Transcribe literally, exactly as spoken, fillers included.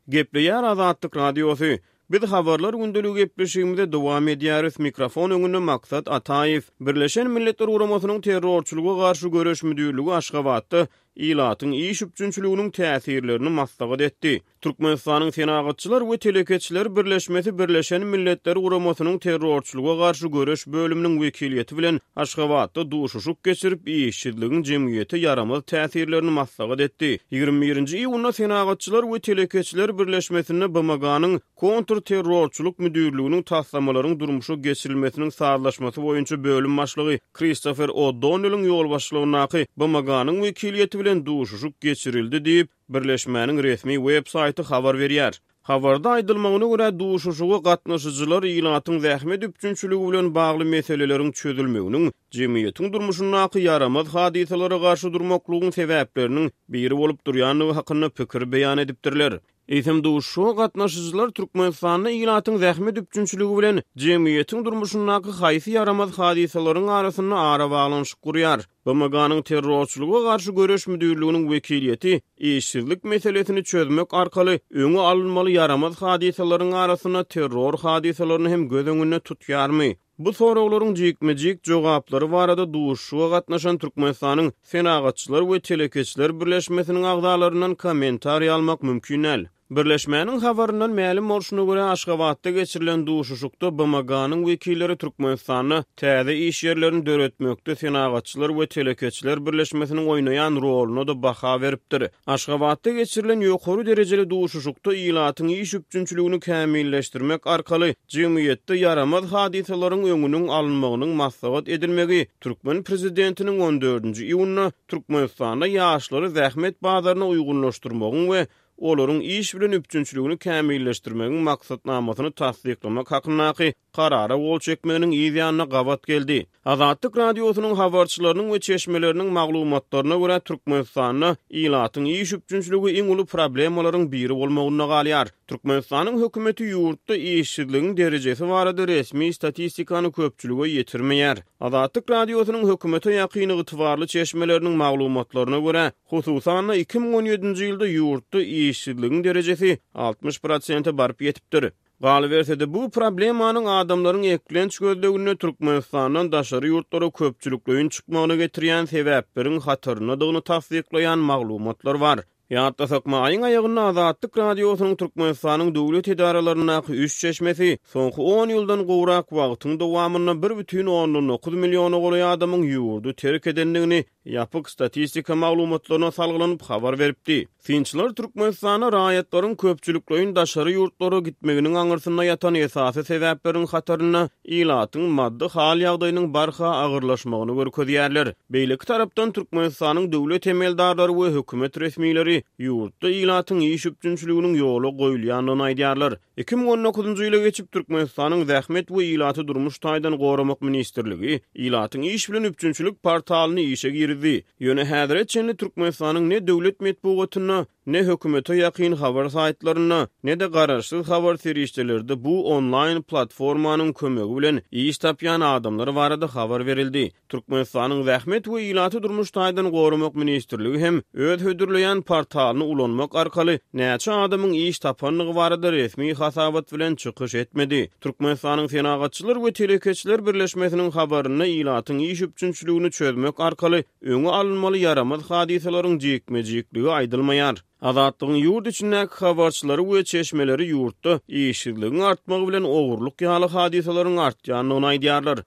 Gepleýär Azatlyk Radiosy. Biz habarlar gündeligi gepleşigimize dowam edýäris. Mikrofon öňünde Maksat Ataýew. Birleşen Milletler Guramasynyň terrorçylyga garşy göreş müdirligi Aşgabatda ilatyň iş üpjünçiliginiň täsirlerini maslahat etdi. Türkmenistanyň Senagatçylar we telekeçiler birleşmesi Birleşen Milletler Guramasynyň terrorçylyga garşy göreş bölüminiň wekiliýeti bilen Aşgabatda duşuşyk geçirip, işsizligiň jemgyýete ýaramaz täsirlerini maslahat etdi. Ýigrimi birinji iýunda Senagatçylar we telekeçiler birleşmesinde B M G-nyň kontrterrorçylyk müdirliginiň taslamalaryň durmuşa geçirilmesiniň sazlaşmasy boýunça bölüm başlygy Kristofer O'Donnelliň ýolbaşçylygyndaky B M G-nyň wekiliýeti bilen duşuşyk geçirildi diýip, birleşmäniň resmi web saýty habar berýär. Habarda aýdylmagyna görä, duşuşyga gatnaşyjylar ilatyň zähmet üpjünçiligi bilen bagly meseleleriň çözülmeginiň jemgyýetiň durmuşyndaky ýaramaz hadysalara garşy durmaklygyň sebäpleriniň biri bolup durýandygy hakynda pikir beýan edipdirler. Eýsem duşuşyga gatnaşyjylar Türkmenistanda ilatyň zähmet üpjünçiligi bilen jemgyýetiň durmuşyndaky haýsy ýaramaz hadysalaryň arasynda arabaglanyşyk gurýar? B M G-nyň terrorçylyga garşy göreş müdirliginiň wekiliýeti işsizlik meselesini çözmek arkaly öňi alynmaly ýaramaz hadysalaryň arasynda terror hadysalaryny hem göz öňünde tutýarmy? Bu soraglaryň jikme-jik jogaplary barada duşuşyga gatnaşan Türkmenistanyň Senagatçylar we telekeçiler birleşmesiniň agzalaryndan kommentariý almak mümkin däl. Birleşmäniň habaryndan mälim bolşuna görä, Aşgabatda geçirilen duşuşykda B M G-nyň wekilleri Türkmenistanda täze iş ýerlerini döretmekde Senagatçylar we telekeçiler birleşmesiniň oýnaýan roluna-da baha beripdir. Aşgabatda geçirilen ýokary derejeli duşuşykda ilatyň iş üpjünçiligini kämilleşdirmek arkaly jemgyýetde ýaramaz hadysalaryň öňüniň alynmagynyň maslahat edilmegi türkmen prezidentiniň on dördünji iýunda Türkmenistanda ýaşlary zähmet bazaryna uýgunlaşdyrmagyň we olaryň iş bilen üpjünçiligini kämilleşdirmegiň maksatnamasyny tassyklamak hakyndaky karara gol çekmeginiň yz ýanyna gabat geldi. Azatlyk Radiosynyň habarçylarynyň we çeşmeleriniň maglumatlaryna görä, Türkmenistanda ilatyň iş üpjünçiligi iň uly problemalaryň biri bolmagynda galýar. Türkmenistanyň hökümeti ýurtda işsizligiň derejesi barada resmi statistikany köpçülige ýetirmeýär. Azatlyk Radiosynyň hökümete ýakyn ygtybarly çeşmeleriniň maglumatlaryna görä, hususan-da iki müň on ýedinji ýylda ýurtda işsizligiň derejesi altmyş prosente baryp ýetipdir. Galyberse-de bu problemanyň adamlaryň eklenç gözleginde Türkmenistandan daşary ýurtlara köpçülikleýin çykmagyna getirýän sebäpleriň hataryndadygyny tassyklaýan maglumatlar bar. Ýatlasak, maýyň aýagynda Azatlyk Radiosynyň Türkmenistanyň döwlet edaralaryndaky üç çeşmesi soňky on ýyldan gowrak wagtyň dowamynda bir bütin ondan dokuz milliona golaý adamyň ýurdy terk edendigini ýapyk statistika maglumatlaryna salgylanyp habar beripdi. Synçylar Türkmenistanda raýatlaryň köpçülikleýin daşary ýurtlara gitmeginiň aňyrsynda ýatan esasy sebäpleriň hatarynda ilatyň maddy hal ýagdaýynyň barha agyrlaşmagyny görkezýärler. Beýleki tarapdan Türkmenistanyň döwlet emeldarlary we hökümet resmileri ýurtda ilatyň iş üpjünçiliginiň ýola goýulýandygyny aýdýarlar. Iki müň on dokuzynjy ýyla geçip Türkmenistanyň Zähmet we ilaty durmuş taýdan goramak ministrligi ilatyň iş bilen üpjünçilik portalyny işe girdi. Ýöne häzire çenli Türkmenistanyň ne döwlet metbugatynda, ne hökümete ýakyn habar saýtlarynda, ne de garaşsyz habar serişdelerde bu onlaýn platformanyň kömegi bilen iş tapýan adamlar barada habar berildi. Türkmenistanyň Zähmet we ilaty durmuş taýdan goramak ministrligi hem öz hödürleýän portalyny ulanmak arkaly näçe adamyň iş tapandygy barada resmi hasabat bilen çykyş etmedi. Türkmenistanyň Senagatçylar we telekeçiler birleşmesiniň habarynda ilatyň iş üpjünçiligini çözmek arkaly öňi alynmaly ýaramaz hadysalaryň jikme-jikligi aýdylmaýar. Azatlygyň ýurt içindäki habarçylary we çeşmeleri ýurtda işsizligiň artmagy bilen ogurlyk ýaly hadysalaryň artýandygyny aýdýarlar.